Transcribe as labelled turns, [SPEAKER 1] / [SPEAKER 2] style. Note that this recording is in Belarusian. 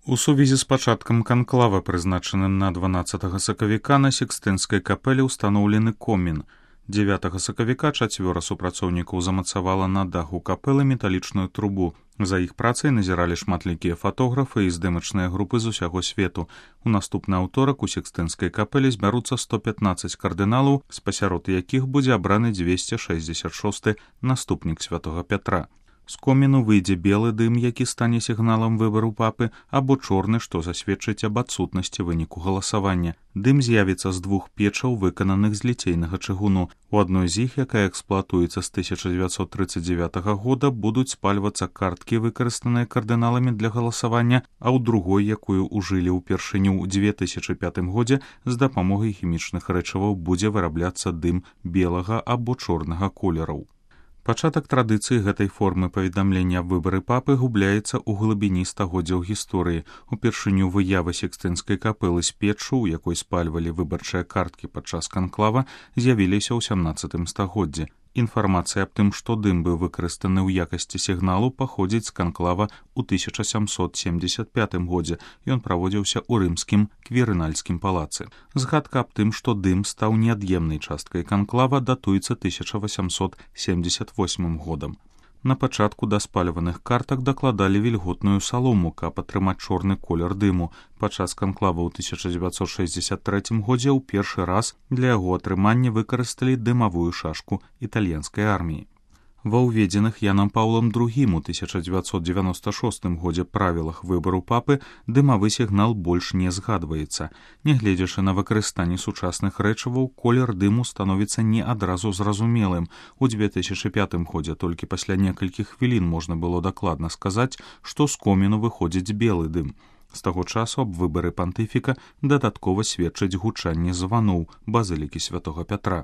[SPEAKER 1] У сувязі з пачаткам канклава, прызначаным на 12 сакавіка, на Сікстынскай капэле ўстаноўлены комін. 9 сакавіка 4 супрацоўнікаў замацавала на даху капэлы металічную трубу. За іх працай назіралі шматлікія фатографы і здымачныя групы з усяго свету. У наступны аўторак у Сікстынскай капэле збяруцца 115 кардыналаў, спасярод якіх будзе абраны 266 наступнік святога Пятра. З коміну выйдзе белы дым, які стане сігналам выбару папы, або чорны, што засведчыць аб адсутнасці выніку галасавання. Дым з'явіцца з двух печаў, выкананых з ліцейнага чыгуну. У адной з іх, якая эксплуатуецца з 1939 года, будуць спальвацца карткі, выкарыстаныя кардыналамі для галасавання, а ў другой, якую ўжылі ўпершыню ў 2005 годзе, з дапамогай хімічных рэчываў будзе вырабляцца дым белага або чорнага колераў. Пачатак традыцыі гэтай формы паведамлення аб выбары папы губляецца ў глыбіні стагоддзяў гісторыі. Упершыню выява Сікстынскай капэлы з печчу, у якой спальвалі выбарчыя карткі падчас канклава, з'явіліся ў 17 стагоддзі. Інфармацыя аб тым, што дым быў выкарыстаны ў якасці сігналу, паходзіць з канклава ў 1775 годзе. Ён праводзіўся ў рымскім кверынальскім палацы. Згадка аб тым, што дым стаў неад'емнай часткай канклава, датуецца 1878 годам. На пачатку да спальваных картак дакладалі вільготную салому, каб атрымаць чорны колер дыму. Падчас канклава ў 1963 годзе ў першы раз для яго атрымання выкарысталі дымавую шашку італьянскай арміі. Ва ўведзеных Янам Паўлам II у 1996 годзе правілах выбару папы дымавы сігнал больш не згадваецца. Нягледзячы на выкарыстанне сучасных рэчываў, колер дыму становіцца не адразу зразумелым. У 2005 годзе толькі пасля некалькіх хвілін можна было дакладна сказаць, што з коміну выходзіць белы дым. З таго часу аб выбары пантыфіка дадаткова сведчыць гучанне званоў базылікі святога Пятра.